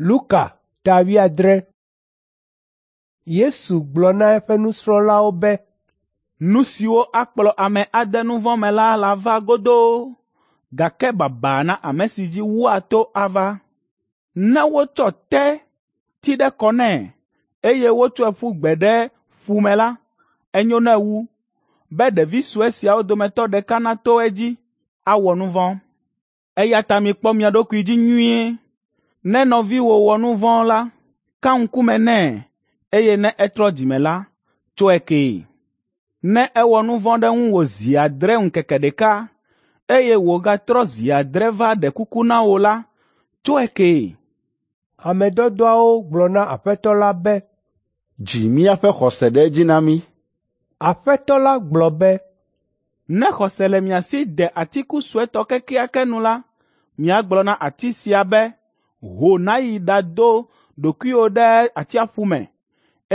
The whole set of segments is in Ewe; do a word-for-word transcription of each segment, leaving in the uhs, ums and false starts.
Luka ta wuiadre. Yesu gblɔ na eƒe nusrɔ̃lawo be, Nu siwo akplɔ ame ade nu vɔ̃ me la lava godoo, gake baba na ame si dzi woato ava. Ne wotsɔ té ti ɖe kɔ nɛ, eye wotsɔe ƒu gbe ɖe ƒu me la, enyo nɛ wu be ɖevi sue siawo dometɔ ɖeka nato edzi awɔ nu vɔ̃. Eya ta mikpɔ mia ɖokui dzi nyuie. Ne nɔviwò wɔ nu vɔ̃ la, ka ŋkume nɛ, eye ne etrɔ dzime la, tsɔe kee. Ne ewɔ nu vɔ̃ ɖe ŋuwò zi adre ŋkeke ɖeka, eye wògatrɔ zi adre va ɖe kuku na wò la, tsɔe kee. Ame dɔdɔawo gblɔ na Aƒetɔ la be, Dzi míaƒe xɔse ɖe edzi na mí. Aƒetɔ la gblɔ be, Ne xɔse le mia si de atiku suetɔ kekeake nu la, miagblɔ na ati sia be, ‘Ho nàyi ɖado ɖokuiwò ɖe atsiaƒu me,’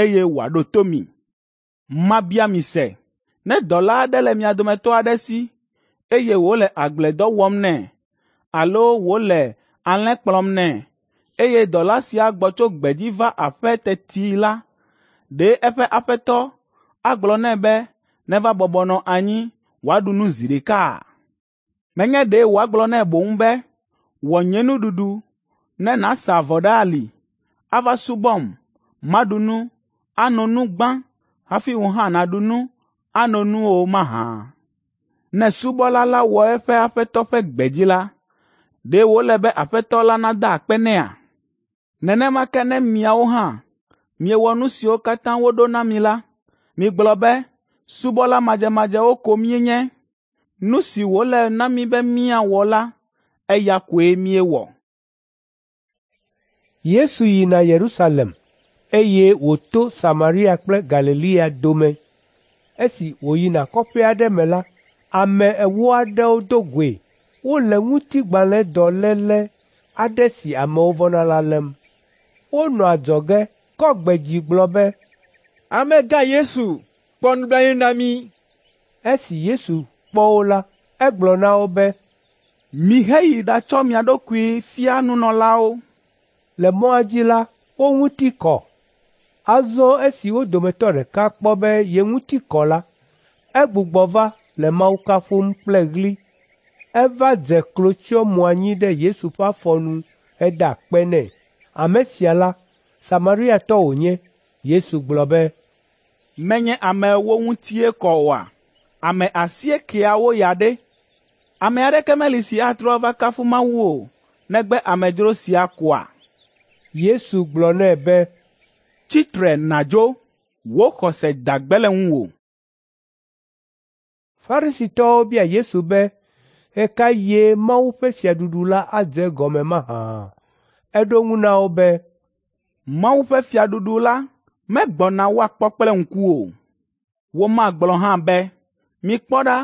eye wòaɖo to mi. Mabia mi se, ne dɔla aɖe le mia dometɔ aɖe si, eye wòle agbledɔ wɔm nɛ, alo wòle alẽ kplɔm nɛ, eye dɔla sia gbɔ tso gbedzi va aƒe teti la, ɖe eƒe aƒetɔ agblɔ nɛ be neva bɔbɔ nɔ anyi wòaɖu nu zi ɖeka? Menye ɖe wòagblɔ nɛ boŋ be, ‘Wɔ nye nuɖuɖu ne nàsa avɔ ɖe ali, ava subɔm, maɖu nu, ano nu gbã hafi wò hã nàɖu nu, ano nu o mahã?’ Ne subɔla la wɔ eƒe aƒetɔ ƒe gbe dzi la, ɖe wòle be aƒetɔ la nada akpe nɛa? Nenema ke ne miawo hã miewɔ nu siwo katã woɖo na mi la, migblɔ be, ‘Subɔla madzemadzewo ko míenye. Nu si wòle na mí be míawɔ la, eya koe míewɔ.’ Yesu yina Yerusalem, eye wòto Samaria kple Galilea dome. Esi wòyina kɔƒe aɖe me la, ame ewo aɖewo do goe. Wole ŋutigbalẽdɔléle aɖe si amewo vɔ̃na la lém. Wonɔ adzɔge kɔ gbe dzi gblɔ be, Amegã Yesu, kpɔ nublanui na mí. Esi Yesu kpɔ wo la, egblɔ na wo be, Miheyi ɖatsɔ mia ɖokui fia nunɔlawo. Le mɔa dzi la, wo ŋuti kɔ. Azɔ esi wo dometɔ ɖeka kpɔ be ye ŋuti kɔ la, egbugbɔ va le Mawu kafum kple ɣli. Eva dze klo tsyɔ mo anyi ɖe Yesu ƒe afɔ nu heda akpe nɛ. Ame sia la, Samariatɔ wònye. Yesu gblɔ be, Menye ame ewo ŋutie kɔ oa? Ame asiekeawo ya ɖe? Ame aɖeke meli si atrɔ ava kafu Mawu o, negbe amedzro sia koa?” Yesu gblɔ nɛ be, “Tsi tre nàdzo, wò xɔse da gbe le ŋuwò.” Farisitɔwo bia Yesu be ɣe ka ɣie Mawu ƒe fiaɖuɖu la adze egɔme mahã. Eɖo eŋu na wo be, Mawu ƒe fiaɖuɖu la megbɔna woakpɔ kple ŋku o. Womagblɔ hã be, ‘Mikpɔ ɖa,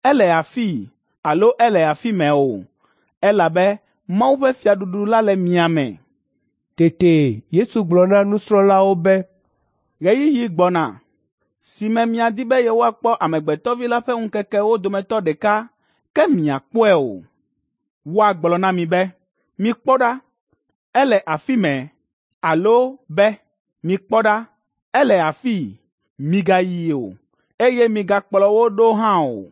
ele afii alo ele afi mɛ o,’ elabe Mawu ƒe fiaɖuɖu la le mia me.” Tete Yesu gblɔ na nusrɔ̃lawo be, “Ɣeyiɣi gbɔna si me miadi be yewoakpɔ Amegbetɔ Vi la ƒe ŋkekewo dometɔ ɖeka, ke miakpɔe o. Woagblɔ na mi be, ‘Mikpɔ ɖa, ele afi mɛ’ alo be, ‘Mikpɔ ɖa, ele afii,’ migayi o, eye migakplɔ wo ɖo hã o.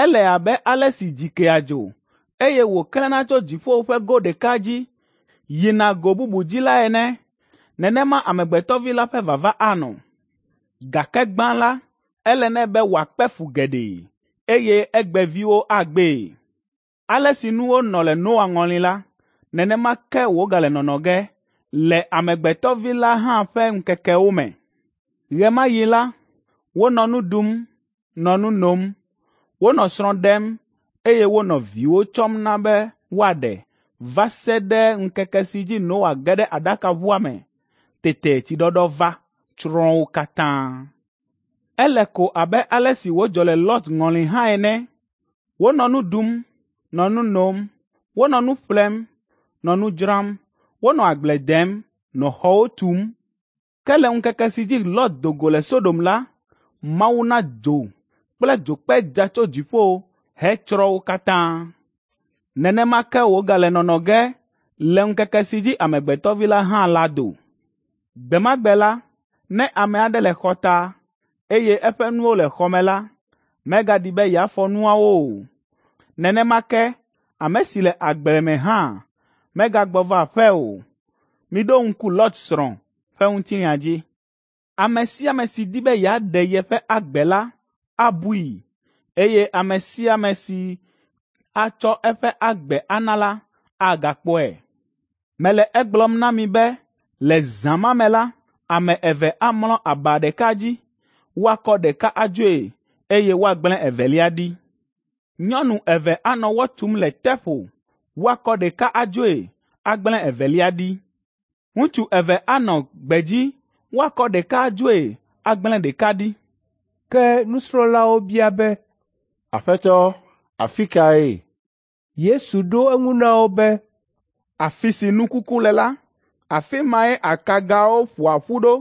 Ele abe ale si dzi kea dzo, eye wòklẽna tso dziƒo ƒe go ɖeka dzi yina go bubu dzi la ene. Nenema Amegbetɔ Vi la ƒe vava anɔ. Gake gbã la, ele nɛ be wòakpe fu geɖe, eye egbeviwo agbee. Ale si nuwo nɔ le Noa ŋɔli la, nenema ke wògale nɔnɔ ge le Amegbetɔ Vi la hã ƒe ŋkekewo me. Ɣe ma ɣi la, wonɔ nu ɖum, nɔ nu nom, wonɔ srɔ̃ ɖem, eye wonɔ viwo tsɔm na be woaɖe va se ɖe ŋkeke si dzi Noa ge ɖe aɖakaʋua me. Tete tsiɖɔɖɔ va, tsrɔ̃ wo katã. Ele ko abe ale si wòdzɔ le Lot ŋɔli hã ene. Wonɔ nu ɖum, nɔ nu nom, wonɔ nu ƒlem, nɔ nu dzram, wonɔ agble dem, nɔ xɔwo tum. Ke le ŋkeke si dzi Lot do go le Sodom la, Mawu na dzo kple dzokpe dza tso dziƒo hetsrɔ̃ wo katã. Nenema ke wògale nɔnɔ ge le ŋkeke si dzi Amegbetɔ Vi la hã lado. Gbe ma gbe la, ne ame aɖe le xɔta, eye eƒe nuwo le xɔ me la, megaɖi be yeafɔ nuawo o. Nenema ke ame si le agble me hã megagbɔ va aƒe o. Miɖo ŋku Lot srɔ̃ ƒe ŋutinya dzi. Ame sia ame si di be yeaɖe yeƒe agbe la abui, eye ame sia ame si atsɔ eƒe agbe ana la agakpɔe. Mele egblɔm na mi be le zã ma me la, ame eve amlɔ aba ɖeka dzi, woakɔ ɖeka adzoe, eye woagblẽ evelia ɖi. Nyɔnu eve anɔ wɔ tum le teƒo, woakɔ ɖeka adzoe, agblẽ evelia ɖi. Ŋutsu eve anɔ gbedzi, woakɔ ɖeka adzoe, agblẽ ɖeka ɖi. Ke nusrɔ̃lawo bia be, Aƒetɔ, afi kae? Yesu ɖo eŋu na wo be, Afi si nu kuku le la, afi mae akagawo ƒoa ƒu ɖo.